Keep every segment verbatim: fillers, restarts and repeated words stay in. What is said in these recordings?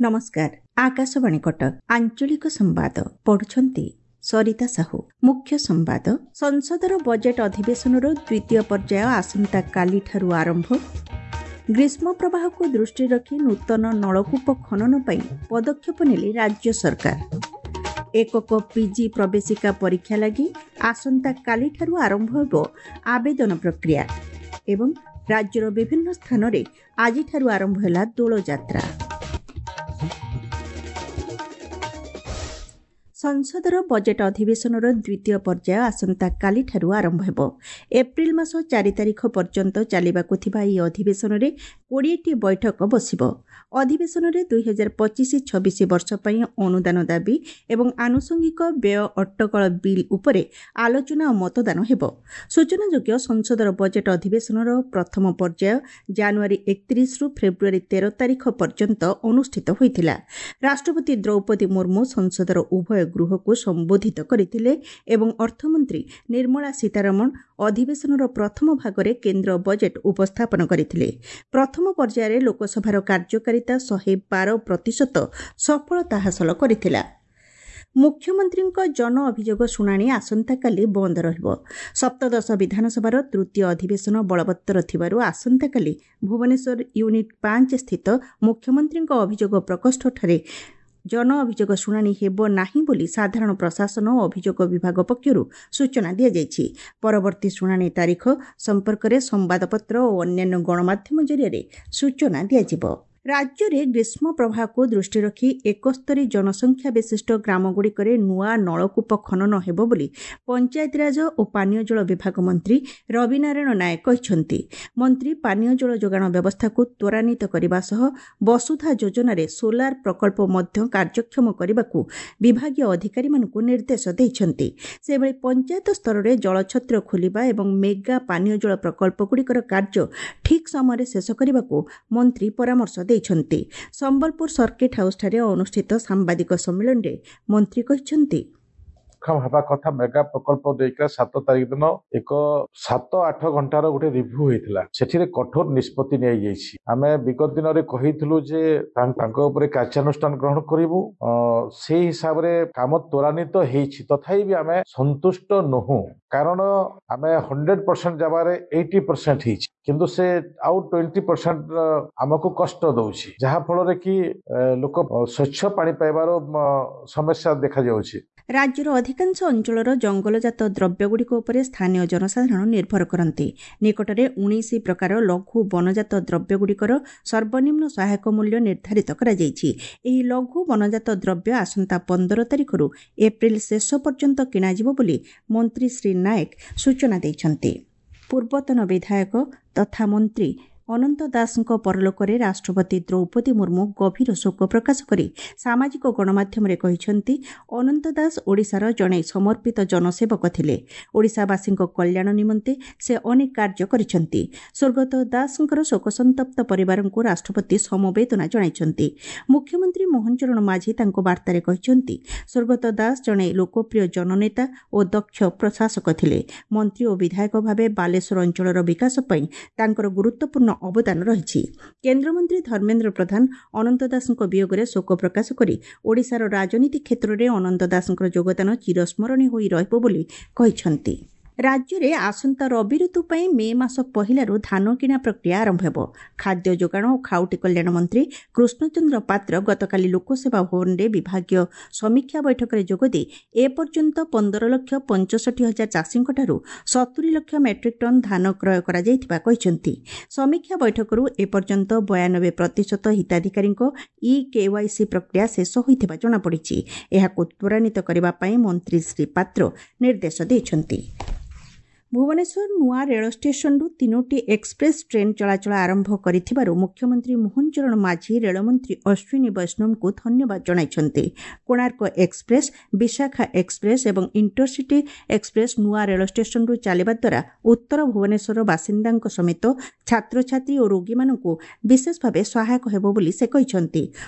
ନମସ୍କାର, ଆକାଶବାଣୀ କଟକ, ଆଞ୍ଚଳିକ ସମ୍ବାଦ ପଢୁଛନ୍ତି ସରିତା ସାହୁ। ମୁଖ୍ୟ ସମ୍ବାଦ। ସଂସଦର ବଜେଟ୍ ଅଧିବେଶନର ଦ୍ୱିତୀୟ ପର୍ଯ୍ୟାୟ ଆସନ୍ତାକାଲିଠାରୁ ଆରମ୍ଭ। ଗ୍ରୀଷ୍ମ ପ୍ରବାହକୁ ଦୃଷ୍ଟିରେ ରଖି ନୂତନ ନଳକୂପ ଖନନ ପାଇଁ ପଦକ୍ଷେପ ନେଲେ ରାଜ୍ୟ ସରକାର। ଏକକ ପିଜି ପ୍ରବେଶିକା ପରୀକ୍ଷା ଲାଗି ଆସନ୍ତାକାଲିଠାରୁ ଆରମ୍ଭ ହେବ ଆବେଦନ ପ୍ରକ୍ରିୟା ଏବଂ ରାଜ୍ୟର ବିଭିନ୍ନ ସ୍ଥାନରେ ଆଜିଠାରୁ ଆରମ୍ଭ ହେଲା ଦୋଳଯାତ୍ରା। ସଂସଦର ବଜେଟ୍ ଅଧିବେଶନର ଦ୍ୱିତୀୟ ପର୍ଯ୍ୟାୟ ଆସନ୍ତାକାଲିଠାରୁ ଆରମ୍ଭ ହେବ। ଏପ୍ରିଲ ମାସ ଚାରି ତାରିଖ ପର୍ଯ୍ୟନ୍ତ ଚାଲିବାକୁ ଥିବା ଏହି ଅଧିବେଶନରେ କୋଡ଼ିଏଟି ବୈଠକ ବସିବ। ଅଧିବେଶନରେ ଦୁଇ ହଜାର ପଚିଶ ଛବିଶ ବର୍ଷ ପାଇଁ ଅନୁଦାନ ଦାବି ଏବଂ ଆନୁଷଙ୍ଗିକ ବ୍ୟୟ ଅଟକଳ ବିଲ୍ ଉପରେ ଆଲୋଚନା ଓ ମତଦାନ ହେବ। ସୂଚନାଯୋଗ୍ୟ, ସଂସଦର ବଜେଟ୍ ଅଧିବେଶନର ପ୍ରଥମ ପର୍ଯ୍ୟାୟ ଜାନୁଆରୀ ଏକତିରିଶରୁ ଫେବୃଆରୀ ତେର ତାରିଖ ପର୍ଯ୍ୟନ୍ତ ଅନୁଷ୍ଠିତ ହୋଇଥିଲା। ରାଷ୍ଟ୍ରପତି ଦ୍ରୌପଦୀ ମୁର୍ମୁ ସଂସଦର ଉଭୟ ଗୃହକୁ ସମ୍ବୋଧିତ କରିଥିଲେ ଏବଂ ଅର୍ଥମନ୍ତ୍ରୀ ନିର୍ମଳା ସୀତାରମଣ ଅଧିବେଶନର ପ୍ରଥମ ଭାଗରେ କେନ୍ଦ୍ର ବଜେଟ୍ ଉପସ୍ଥାପନ କରିଥିଲେ। ପ୍ରଥମ ପର୍ଯ୍ୟାୟରେ ଲୋକସଭାର କାର୍ଯ୍ୟକାରିତା ଶହେ ବାର ପ୍ରତିଶତ ସଫଳତା ହାସଲ କରିଥିଲା। ମୁଖ୍ୟମନ୍ତ୍ରୀଙ୍କ ଜନ ଅଭିଯୋଗ ଶୁଣାଣି ଆସନ୍ତାକାଲି ବନ୍ଦ ରହିବ। ସପ୍ତଦଶ ବିଧାନସଭାର ତୃତୀୟ ଅଧିବେଶନ ବଳବତ୍ତର ଥିବାରୁ ଆସନ୍ତାକାଲି ଭୁବନେଶ୍ୱର ୟୁନିଟ୍ ପାଞ୍ଚ ସ୍ଥିତ ମୁଖ୍ୟମନ୍ତ୍ରୀଙ୍କ ଅଭିଯୋଗ ପ୍ରକୋଷ୍ଠଠାରେ ଜନ ଅଭିଯୋଗ ଶୁଣାଣି ହେବ ନାହିଁ ବୋଲି ସାଧାରଣ ପ୍ରଶାସନ ଓ ଅଭିଯୋଗ ବିଭାଗ ପକ୍ଷରୁ ସୂଚନା ଦିଆଯାଇଛି। ପରବର୍ତ୍ତୀ ଶୁଣାଣି ତାରିଖ ସମ୍ପର୍କରେ ସମ୍ବାଦପତ୍ର ଓ ଅନ୍ୟାନ୍ୟ ଗଣମାଧ୍ୟମ ଜରିଆରେ ସୂଚନା ଦିଆଯିବ। ରାଜ୍ୟରେ ଗ୍ରୀଷ୍ମ ପ୍ରବାହକୁ ଦୃଷ୍ଟିରେ ରଖି ଏକସ୍ତରୀ ଜନସଂଖ୍ୟା ବିଶିଷ୍ଟ ଗ୍ରାମଗୁଡ଼ିକରେ ନୂଆ ନଳକୂପ ଖନନ ହେବ ବୋଲି ପଞ୍ଚାୟତିରାଜ ଓ ପାନୀୟ ଜଳ ବିଭାଗ ମନ୍ତ୍ରୀ ରବିନାରାୟଣ ନାୟକ କହିଛନ୍ତି। ମନ୍ତ୍ରୀ ପାନୀୟ ଜଳ ଯୋଗାଣ ବ୍ୟବସ୍ଥାକୁ ତ୍ୱରାନ୍ୱିତ କରିବା ସହ ବସୁଧା ଯୋଜନାରେ ସୋଲାର ପ୍ରକଳ୍ପ ମଧ୍ୟ କାର୍ଯ୍ୟକ୍ଷମ କରିବାକୁ ବିଭାଗୀୟ ଅଧିକାରୀମାନଙ୍କୁ ନିର୍ଦ୍ଦେଶ ଦେଇଛନ୍ତି। ସେହିଭଳି ପଞ୍ଚାୟତ ସ୍ତରରେ ଜଳଛତ୍ର ଖୋଲିବା ଏବଂ ମେଗା ପାନୀୟ ଜଳ ପ୍ରକଳ୍ପଗୁଡ଼ିକର କାର୍ଯ୍ୟ ଠିକ୍ ସମୟରେ ଶେଷ କରିବାକୁ ମନ୍ତ୍ରୀ ପରାମର୍ଶ ଦେଇଛନ୍ତି। ସମ୍ବଲପୁର ସର୍କିଟ୍ ହାଉସ୍ଠାରେ ଅନୁଷ୍ଠିତ ସାମ୍ବାଦିକ ସମ୍ମିଳନୀରେ ମନ୍ତ୍ରୀ କହିଛନ୍ତି, ହେବା କଥା ମେଗା ପ୍ରକଳ୍ପ ଦେଇକିନା ସାତ ତାରିଖ ଦିନ ଏକ ସାତ ଆଠ ଘଣ୍ଟାର ଗୋଟେ ରିଭ୍ୟୁ ହେଇଥିଲା। ସେଠିରେ କଠୋର ନିଷ୍ପତ୍ତି ନିଆଯାଇଛି। ଆମେ ବିଗତ ଦିନରେ କହିଥିଲୁ ଯେ ତାଙ୍କ ଉପରେ କାର୍ଯ୍ୟାନୁଷ୍ଠାନ ଗ୍ରହଣ କରିବୁ, ସେଇ ହିସାବରେ କାମ ତ୍ୱରାନ୍ୱିତ ହେଇଛି। ତଥାପି ବି ଆମେ ସନ୍ତୁଷ୍ଟ ନୋହୁଁ, କାରଣ ଆମେ ହଣ୍ଡ୍ରେଡ ପରସେଣ୍ଟ ଜାଗାରେ ଏଇଟି ପରସେଣ୍ଟ ହେଇଛି, କିନ୍ତୁ ସେ ଆଉ ଟ୍ୱେଣ୍ଟି ପରସେଣ୍ଟ ଆମକୁ କଷ୍ଟ ଦଉଛି, ଯାହା ଫଳରେ କି ଲୋକ ସ୍ୱଚ୍ଛ ପାଣି ପାଇବାର ସମସ୍ୟା ଦେଖାଯାଉଛି। ରାଜ୍ୟର ଅଧିକାଂଶ ଅଞ୍ଚଳର ଜଙ୍ଗଲଜାତ ଦ୍ରବ୍ୟଗୁଡ଼ିକ ଉପରେ ସ୍ଥାନୀୟ ଜନସାଧାରଣ ନିର୍ଭର କରନ୍ତି। ନିକଟରେ ଉଣେଇଶ ପ୍ରକାର ଲଘୁ ବନଜାତ ଦ୍ରବ୍ୟଗୁଡ଼ିକର ସର୍ବନିମ୍ନ ସହାୟକ ମୂଲ୍ୟ ନିର୍ଦ୍ଧାରିତ କରାଯାଇଛି। ଏହି ଲଘୁ ବନଜାତ ଦ୍ରବ୍ୟ ଆସନ୍ତା ପନ୍ଦର ତାରିଖରୁ ଏପ୍ରିଲ ଶେଷ ପର୍ଯ୍ୟନ୍ତ କିଣାଯିବ ବୋଲି ମନ୍ତ୍ରୀ ଶ୍ରୀ ନାୟକ ସୂଚନା ଦେଇଛନ୍ତି। ପୂର୍ବତନ ବିଧାୟକ ତଥା ମନ୍ତ୍ରୀ ଅନନ୍ତ ଦାସଙ୍କ ପରଲୋକରେ ରାଷ୍ଟ୍ରପତି ଦ୍ରୌପଦୀ ମୁର୍ମୁ ଗଭୀର ଶୋକ ପ୍ରକାଶ କରି ସାମାଜିକ ଗଣମାଧ୍ୟମରେ କହିଛନ୍ତି, ଅନନ୍ତ ଦାସ ଓଡ଼ିଶାର ଜଣେ ସମର୍ପିତ ଜନସେବକ ଥିଲେ। ଓଡ଼ିଶାବାସୀଙ୍କ କଲ୍ୟାଣ ନିମନ୍ତେ ସେ ଅନେକ କାର୍ଯ୍ୟ କରିଛନ୍ତି। ସ୍ୱର୍ଗତ ଦାସଙ୍କର ଶୋକସନ୍ତପ୍ତ ପରିବାରଙ୍କୁ ରାଷ୍ଟ୍ରପତି ସମବେଦନା ଜଣାଇଛନ୍ତି। ମୁଖ୍ୟମନ୍ତ୍ରୀ ମୋହନ ଚରଣ ମାଝୀ ତାଙ୍କ ବାର୍ତ୍ତାରେ କହିଛନ୍ତି, ସ୍ୱର୍ଗତ ଦାସ ଜଣେ ଲୋକପ୍ରିୟ ଜନନେତା ଓ ଦକ୍ଷ ପ୍ରଶାସକ ଥିଲେ। ମନ୍ତ୍ରୀ ଓ ବିଧାୟକ ଭାବେ ବାଲେଶ୍ୱର ଅଞ୍ଚଳର ବିକାଶ ପାଇଁ ତାଙ୍କର ଗୁରୁତ୍ୱପୂର୍ଣ୍ଣ ଅବଦାନ ରହିଛି। କେନ୍ଦ୍ରମନ୍ତ୍ରୀ ଧର୍ମେନ୍ଦ୍ର ପ୍ରଧାନ ଅନନ୍ତ ଦାସଙ୍କ ବିୟୋଗରେ ଶୋକ ପ୍ରକାଶ କରି ଓଡ଼ିଶାର ରାଜନୀତି କ୍ଷେତ୍ରରେ ଅନନ୍ତ ଦାସଙ୍କର ଯୋଗଦାନ ଚିରସ୍ମରଣୀୟ ହୋଇ ରହିବ ବୋଲି କହିଛନ୍ତି। ରାଜ୍ୟରେ ଆସନ୍ତା ରବି ଋତୁ ପାଇଁ ମେ ମାସ ପହିଲାରୁ ଧାନ କିଣା ପ୍ରକ୍ରିୟା ଆରମ୍ଭ ହେବ। ଖାଦ୍ୟ ଯୋଗାଣ ଓ ଖାଉଟି କଲ୍ୟାଣ ମନ୍ତ୍ରୀ କୃଷ୍ଣଚନ୍ଦ୍ର ପାତ୍ର ଗତକାଲି ଲୋକସେବା ଭବନରେ ବିଭାଗୀୟ ସମୀକ୍ଷା ବୈଠକରେ ଯୋଗଦେଇ ଏପର୍ଯ୍ୟନ୍ତ ପନ୍ଦର ଲକ୍ଷ ପଞ୍ଚଷଠି ହଜାର ଚାଷୀଙ୍କଠାରୁ ସତୁରି ଲକ୍ଷ ମେଟ୍ରିକ୍ ଟନ୍ ଧାନ କ୍ରୟ କରାଯାଇଥିବା କହିଛନ୍ତି। ସମୀକ୍ଷା ବୈଠକରୁ ଏପର୍ଯ୍ୟନ୍ତ ବୟାନବେ ପ୍ରତିଶତ ହିତାଧିକାରୀଙ୍କ ଇ କେୱାଇସି ପ୍ରକ୍ରିୟା ଶେଷ ହୋଇଥିବା ଜଣାପଡ଼ିଛି। ଏହାକୁ ତ୍ୱରାନ୍ୱିତ କରିବା ପାଇଁ ମନ୍ତ୍ରୀ ଶ୍ରୀ ପାତ୍ର ନିର୍ଦ୍ଦେଶ ଦେଇଛନ୍ତି। ଭୁବନେଶ୍ୱର ନୂଆ ରେଳ ଷ୍ଟେସନରୁ ତିନୋଟି ଏକ୍ସପ୍ରେସ୍ ଟ୍ରେନ୍ ଚଳାଚଳ ଆରମ୍ଭ କରିଥିବାରୁ ମୁଖ୍ୟମନ୍ତ୍ରୀ ମୋହନ ଚରଣ ମାଝୀ ରେଳମନ୍ତ୍ରୀ ଅଶ୍ୱିନୀ ବୈଷ୍ଣବଙ୍କୁ ଧନ୍ୟବାଦ ଜଣାଇଛନ୍ତି। କୋଣାର୍କ ଏକ୍ସପ୍ରେସ୍, ବିଶାଖା ଏକ୍ସପ୍ରେସ୍ ଏବଂ ଇଣ୍ଟରସିଟି ଏକ୍ସପ୍ରେସ୍ ନୂଆ ରେଳ ଷ୍ଟେସନରୁ ଚାଲିବା ଦ୍ୱାରା ଉତ୍ତର ଭୁବନେଶ୍ୱରର ବାସିନ୍ଦାଙ୍କ ସମେତ ଛାତ୍ରଛାତ୍ରୀ ଓ ରୋଗୀମାନଙ୍କୁ ବିଶେଷ ଭାବେ ସହାୟକ ହେବ ବୋଲି ସେ କହିଛନ୍ତି।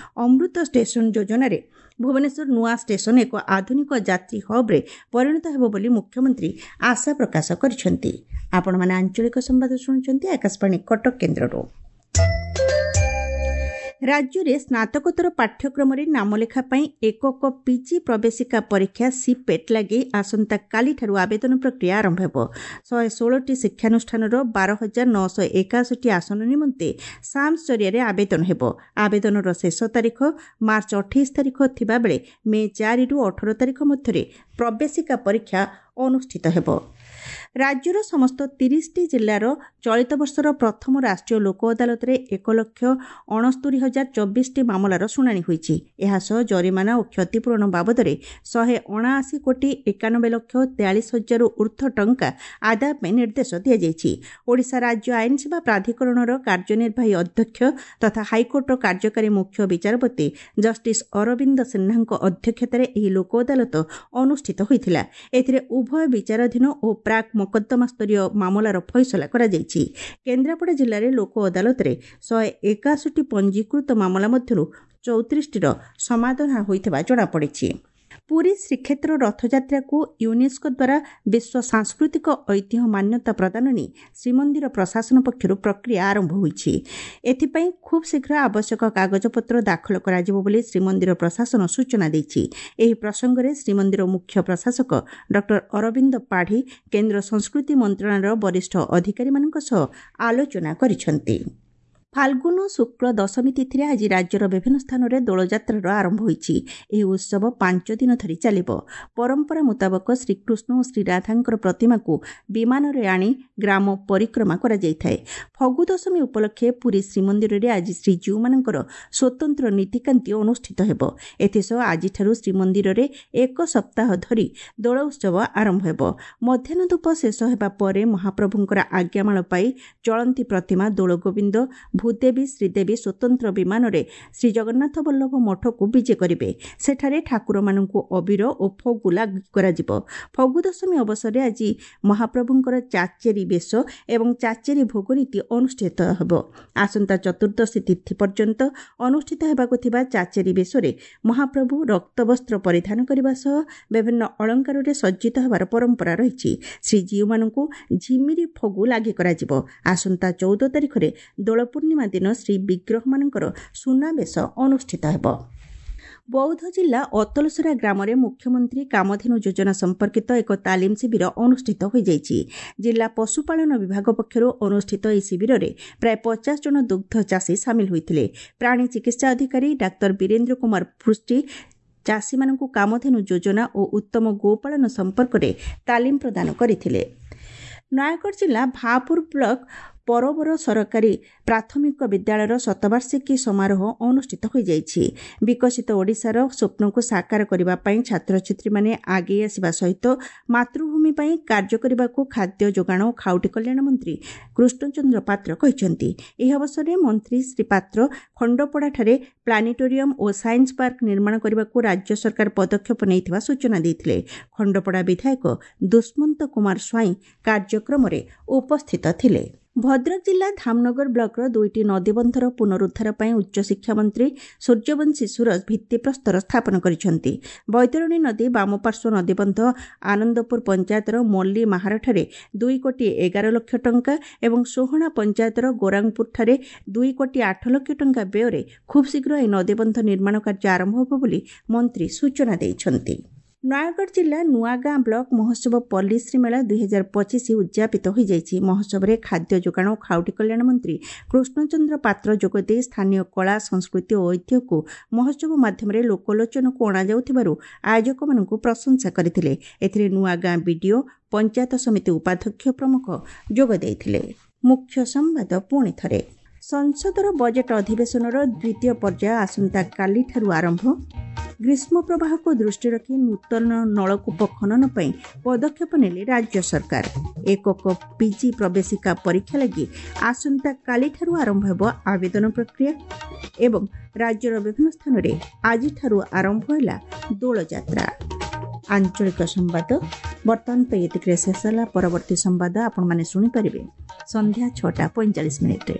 ଅମୃତ ଷ୍ଟେସନ ଯୋଜନାରେ ଭୁବନେଶ୍ୱର ନୂଆ ଷ୍ଟେସନ ଏକ ଆଧୁନିକ ଯାତ୍ରୀ ହବ୍ରେ ପରିଣତ ହେବ ବୋଲି ମୁଖ୍ୟମନ୍ତ୍ରୀ ଆଶା ପ୍ରକାଶ କରିଛନ୍ତି। ଆପଣମାନେ ଆଞ୍ଚଳିକ ସମ୍ବାଦ ଶୁଣୁଛନ୍ତି ଆକାଶବାଣୀ କଟକ କେନ୍ଦ୍ରରୁ। ରାଜ୍ୟରେ ସ୍ନାତକୋତ୍ତର ପାଠ୍ୟକ୍ରମରେ ନାମଲେଖା ପାଇଁ ଏକକ ପିଜି ପ୍ରବେଶିକା ପରୀକ୍ଷା ସିପେଟ୍ ଲାଗି ଆସନ୍ତାକାଲିଠାରୁ ଆବେଦନ ପ୍ରକ୍ରିୟା ଆରମ୍ଭ ହେବ। ଶହେ ଷୋହଳଟି ଶିକ୍ଷାନୁଷ୍ଠାନର ବାର ହଜାର ନଅଶହ ଏକାଅଶୀଟି ଆସନ ନିମନ୍ତେ ସାମ୍ସ ଜରିଆରେ ଆବେଦନ ହେବ। ଆବେଦନର ଶେଷ ତାରିଖ ମାର୍ଚ୍ଚ ଅଠେଇଶ ତାରିଖ ଥିବାବେଳେ ମେ ଚାରିରୁ ଅଠର ତାରିଖ ମଧ୍ୟରେ ପ୍ରବେଶିକା ପରୀକ୍ଷା ଅନୁଷ୍ଠିତ ହେବ। ରାଜ୍ୟର ସମସ୍ତ ତିରିଶଟି ଜିଲ୍ଲାର ଚଳିତ ବର୍ଷର ପ୍ରଥମ ରାଷ୍ଟ୍ରୀୟ ଲୋକ ଅଦାଲତରେ ଏକ ଲକ୍ଷ ଅଣସ୍ତରୀ ହଜାର ଚବିଶଟି ମାମଲାର ଶୁଣାଣି ହୋଇଛି। ଏହାସହ ଜରିମାନା ଓ କ୍ଷତିପୂରଣ ବାବଦରେ ଶହେ ଅଣାଅଶୀ କୋଟି ଏକାନବେ ଲକ୍ଷ ତେୟାଳିଶ ହଜାରରୁ ଉର୍ଦ୍ଧ୍ୱ ଟଙ୍କା ଆଦାୟ ପାଇଁ ନିର୍ଦ୍ଦେଶ ଦିଆଯାଇଛି। ଓଡ଼ିଶା ରାଜ୍ୟ ଆଇନସେବା ପ୍ରାଧିକରଣର କାର୍ଯ୍ୟନିର୍ବାହୀ ଅଧ୍ୟକ୍ଷ ତଥା ହାଇକୋର୍ଟର କାର୍ଯ୍ୟକାରୀ ମୁଖ୍ୟ ବିଚାରପତି ଜଷ୍ଟିସ୍ ଅରବିନ୍ଦ ସିହ୍ନାଙ୍କ ଅଧ୍ୟକ୍ଷତାରେ ଏହି ଲୋକ ଅଦାଲତ ଅନୁଷ୍ଠିତ ହୋଇଥିଲା। ଏଥିରେ ଉଭୟ ବିଚାରାଧୀନ ଓ ପ୍ରାକ୍ ମକଦ୍ଦମା ସ୍ତରୀୟ ମାମଲାର ଫଇସଲା କରାଯାଇଛି। କେନ୍ଦ୍ରାପଡ଼ା ଜିଲ୍ଲାରେ ଲୋକ ଅଦାଲତରେ ଶହେ ଏକାଅଶୀଟି ପଞ୍ଜୀକୃତ ମାମଲା ମଧ୍ୟରୁ ଚଉତିରିଶଟିର ସମାଧାନ ହୋଇଥିବା ଜଣାପଡ଼ିଛି। ପୁରୀ ଶ୍ରୀକ୍ଷେତ୍ର ରଥଯାତ୍ରାକୁ ୟୁନେସ୍କୋ ଦ୍ୱାରା ବିଶ୍ୱ ସାଂସ୍କୃତିକ ଐତିହ୍ୟ ମାନ୍ୟତା ପ୍ରଦାନ ନେଇ ଶ୍ରୀମନ୍ଦିର ପ୍ରଶାସନ ପକ୍ଷରୁ ପ୍ରକ୍ରିୟା ଆରମ୍ଭ ହୋଇଛି। ଏଥିପାଇଁ ଖୁବ୍ ଶୀଘ୍ର ଆବଶ୍ୟକ କାଗଜପତ୍ର ଦାଖଲ କରାଯିବ ବୋଲି ଶ୍ରୀମନ୍ଦିର ପ୍ରଶାସନ ସୂଚନା ଦେଇଛି। ଏହି ପ୍ରସଙ୍ଗରେ ଶ୍ରୀମନ୍ଦିର ମୁଖ୍ୟ ପ୍ରଶାସକ ଡକ୍ଟର ଅରବିନ୍ଦ ପାଢ଼ୀ କେନ୍ଦ୍ର ସଂସ୍କୃତି ମନ୍ତ୍ରଣାଳୟର ବରିଷ୍ଠ ଅଧିକାରୀମାନଙ୍କ ସହ ଆଲୋଚନା କରିଛନ୍ତି। ଫାଲ୍ଗୁନ ଶୁକ୍ଳ ଦଶମୀ ତିଥିରେ ଆଜି ରାଜ୍ୟର ବିଭିନ୍ନ ସ୍ଥାନରେ ଦୋଳଯାତ୍ରାର ଆରମ୍ଭ ହୋଇଛି। ଏହି ଉତ୍ସବ ପାଞ୍ଚ ଦିନ ଧରି ଚାଲିବ। ପରମ୍ପରା ମୁତାବକ ଶ୍ରୀକୃଷ୍ଣ ଓ ଶ୍ରୀରାଧାଙ୍କର ପ୍ରତିମାକୁ ବିମାନରେ ଆଣି ଗ୍ରାମ ପରିକ୍ରମା କରାଯାଇଥାଏ। ଫଗୁ ଦଶମୀ ଉପଲକ୍ଷେ ପୁରୀ ଶ୍ରୀମନ୍ଦିରରେ ଆଜି ଶ୍ରୀଜୀଉମାନଙ୍କର ସ୍ୱତନ୍ତ୍ର ନୀତିକାନ୍ତି ଅନୁଷ୍ଠିତ ହେବ। ଏଥିସହ ଆଜିଠାରୁ ଶ୍ରୀମନ୍ଦିରରେ ଏକ ସପ୍ତାହ ଧରି ଦୋଳ ଉତ୍ସବ ଆରମ୍ଭ ହେବ। ମଧ୍ୟାହ୍ନ ଧୂପ ଶେଷ ହେବା ପରେ ମହାପ୍ରଭୁଙ୍କର ଆଜ୍ଞାମାଳ ପାଇ ଚଳନ୍ତି ପ୍ରତିମା ଦୋଳଗୋବିନ୍ଦ, ଭୂଦେବୀ, ଶ୍ରୀଦେବୀ ସ୍ୱତନ୍ତ୍ର ବିମାନରେ ଶ୍ରୀଜଗନ୍ନାଥ ବଲ୍ଲଭ ମଠକୁ ବିଜେ କରିବେ। ସେଠାରେ ଠାକୁରମାନଙ୍କୁ ଅବିର ଓ ଫଗୁ ଲାଗି କରାଯିବ। ଫଗୁ ଦଶମୀ ଅବସରରେ ଆଜି ମହାପ୍ରଭୁଙ୍କର ଚାଚେରୀ ବେଶ ଏବଂ ଚାଚେରୀ ଭୋଗ ନୀତି ଅନୁଷ୍ଠିତ ହେବ। ଆସନ୍ତା ଚତୁର୍ଦ୍ଦଶୀ ତିଥି ପର୍ଯ୍ୟନ୍ତ ଅନୁଷ୍ଠିତ ହେବାକୁ ଥିବା ଚାଚେରୀ ବେଶରେ ମହାପ୍ରଭୁ ରକ୍ତବସ୍ତ୍ର ପରିଧାନ କରିବା ସହ ବିଭିନ୍ନ ଅଳଙ୍କାରରେ ସଜ୍ଜିତ ହେବାର ପରମ୍ପରା ରହିଛି। ଶ୍ରୀଜୀଉମାନଙ୍କୁ ଝିମିରି ଫଗୁ ଲାଗି କରାଯିବ। ଆସନ୍ତା ଚଉଦ ତାରିଖରେ ଦୋଳ ପୂର୍ଣ୍ଣିମା ଦିନ ଶ୍ରୀ ବିଗ୍ରହମାନଙ୍କର ସୁନାବେଶ ଅନୁଷ୍ଠିତ ହେବ। ବୌଦ୍ଧ ଜିଲ୍ଲା ଅତଲସରା ଗ୍ରାମରେ ମୁଖ୍ୟମନ୍ତ୍ରୀ କାମଧେନୁ ଯୋଜନା ସମ୍ପର୍କିତ ଏକ ତାଲିମ ଶିବିର ଅନୁଷ୍ଠିତ ହୋଇଯାଇଛି। ଜିଲ୍ଲା ପଶୁପାଳନ ବିଭାଗ ପକ୍ଷରୁ ଅନୁଷ୍ଠିତ ଏହି ଶିବିରରେ ପ୍ରାୟ ପଚାଶ ଜଣ ଦୁଗ୍ଧ ଚାଷୀ ସାମିଲ ହୋଇଥିଲେ। ପ୍ରାଣୀ ଚିକିତ୍ସା ଅଧିକାରୀ ଡାକ୍ତର ବୀରେନ୍ଦ୍ର କୁମାର ପୃଷ୍ଟି ଚାଷୀମାନଙ୍କୁ କାମଧେନୁ ଯୋଜନା ଓ ଉତ୍ତମ ଗୋପାଳନ ସମ୍ପର୍କରେ ତାଲିମ ପ୍ରଦାନ କରିଥିଲେ। ନୟାଗଡ଼ ଜିଲ୍ଲା ଭାପୁର ବ୍ଲକ ପରବର ସରକାରୀ ପ୍ରାଥମିକ ବିଦ୍ୟାଳୟର ଶତବାର୍ଷିକୀ ସମାରୋହ ଅନୁଷ୍ଠିତ ହୋଇଯାଇଛି। ବିକଶିତ ଓଡ଼ିଶାର ସ୍ୱପ୍ନକୁ ସାକାର କରିବା ପାଇଁ ଛାତ୍ରଛାତ୍ରୀମାନେ ଆଗେଇ ଆସିବା ସହିତ ମାତୃଭୂମି ପାଇଁ କାର୍ଯ୍ୟ କରିବାକୁ ଖାଦ୍ୟ ଯୋଗାଣ ଓ ଖାଉଟି କଲ୍ୟାଣ ମନ୍ତ୍ରୀ କୃଷ୍ଣଚନ୍ଦ୍ର ପାତ୍ର କହିଛନ୍ତି। ଏହି ଅବସରରେ ମନ୍ତ୍ରୀ ଶ୍ରୀ ପାତ୍ର ଖଣ୍ଡପଡ଼ାଠାରେ ପ୍ଲାନେଟୋରିୟମ୍ ଓ ସାଇନ୍ସ ପାର୍କ ନିର୍ମାଣ କରିବାକୁ ରାଜ୍ୟ ସରକାର ପଦକ୍ଷେପ ନେଇଥିବା ସୂଚନା ଦେଇଥିଲେ। ଖଣ୍ଡପଡ଼ା ବିଧାୟକ ଦୁଷ୍ମନ୍ତ କୁମାର ସ୍ୱାଇଁ କାର୍ଯ୍ୟକ୍ରମରେ ଉପସ୍ଥିତ ଥିଲେ। ଭଦ୍ରକ ଜିଲ୍ଲା ଧାମନଗର ବ୍ଲକର ଦୁଇଟି ନଦୀବନ୍ଧର ପୁନରୁଦ୍ଧାର ପାଇଁ ଉଚ୍ଚଶିକ୍ଷା ମନ୍ତ୍ରୀ ସୂର୍ଯ୍ୟବଂଶୀ ସୁରଜ ଭିତ୍ତିପ୍ରସ୍ତର ସ୍ଥାପନ କରିଛନ୍ତି। ବୈତରଣୀ ନଦୀ ବାମପାର୍ଶ୍ୱ ନଦୀବନ୍ଧ ଆନନ୍ଦପୁର ପଞ୍ଚାୟତର ମଲ୍ଲି ମାହାରଠାରେ ଦୁଇ କୋଟି ଏଗାର ଲକ୍ଷ ଟଙ୍କା ଏବଂ ସୋହଣା ପଞ୍ଚାୟତର ଗୋରାଙ୍ଗପୁରଠାରେ ଦୁଇ କୋଟି ଆଠ ଲକ୍ଷ ଟଙ୍କା ବ୍ୟୟରେ ଖୁବ୍ ଶୀଘ୍ର ଏହି ନଦୀବନ୍ଧ ନିର୍ମାଣ କାର୍ଯ୍ୟ ଆରମ୍ଭ ହେବ ବୋଲି ମନ୍ତ୍ରୀ ସୂଚନା ଦେଇଛନ୍ତି। ନୟାଗଡ଼ ଜିଲ୍ଲା ନୂଆଗାଁ ବ୍ଲକ ମହୋତ୍ସବ ପଲ୍ଲୀଶ୍ରୀ ମେଳା ଦୁଇ ହଜାର ପଚିଶ ଉଦ୍ଯାପିତ ହୋଇଯାଇଛି। ମହୋତ୍ସବରେ ଖାଦ୍ୟ ଯୋଗାଣ ଓ ଖାଉଟି କଲ୍ୟାଣ ମନ୍ତ୍ରୀ କୃଷ୍ଣଚନ୍ଦ୍ର ପାତ୍ର ଯୋଗଦେଇ ସ୍ଥାନୀୟ କଳା, ସଂସ୍କୃତି ଓ ଐତିହ୍ୟକୁ ମହୋତ୍ସବ ମାଧ୍ୟମରେ ଲୋକଲୋଚନକୁ ଅଣାଯାଉଥିବାରୁ ଆୟୋଜକମାନଙ୍କୁ ପ୍ରଶଂସା କରିଥିଲେ। ଏଥିରେ ନୂଆଗାଁ ବିଡିଓ, ପଞ୍ଚାୟତ ସମିତି ଉପାଧ୍ୟକ୍ଷ ପ୍ରମୁଖ ଯୋଗ ଦେଇଥିଲେ। ମୁଖ୍ୟ ସମ୍ବାଦ ପୁଣି ଥରେ। ସଂସଦର ବଜେଟ୍ ଅଧିବେଶନର ଦ୍ୱିତୀୟ ପର୍ଯ୍ୟାୟ ଆସନ୍ତାକାଲିଠାରୁ ଆରମ୍ଭ। ଗ୍ରୀଷ୍ମ ପ୍ରବାହକୁ ଦୃଷ୍ଟିରେ ରଖି ନୂତନ ନଳକୂପ ଖନନ ପାଇଁ ପଦକ୍ଷେପ ନେଲେ ରାଜ୍ୟ ସରକାର। ଏକକ ପିଜି ପ୍ରବେଶିକା ପରୀକ୍ଷା ଲାଗି ଆସନ୍ତାକାଲିଠାରୁ ଆରମ୍ଭ ହେବ ଆବେଦନ ପ୍ରକ୍ରିୟା ଏବଂ ରାଜ୍ୟର ବିଭିନ୍ନ ସ୍ଥାନରେ ଆଜିଠାରୁ ଆରମ୍ଭ ହେଲା ଦୋଳଯାତ୍ରା। ଆଞ୍ଚଳିକ ସମ୍ବାଦ ବର୍ତ୍ତମାନ ପାଇଁ ଏତିକିରେ ଶେଷ ହେଲା। ପରବର୍ତ୍ତୀ ସମ୍ବାଦ ଆପଣମାନେ ଶୁଣିପାରିବେ ସନ୍ଧ୍ୟା ଛଅଟା ପଇଁଚାଳିଶ ମିନିଟ୍ରେ।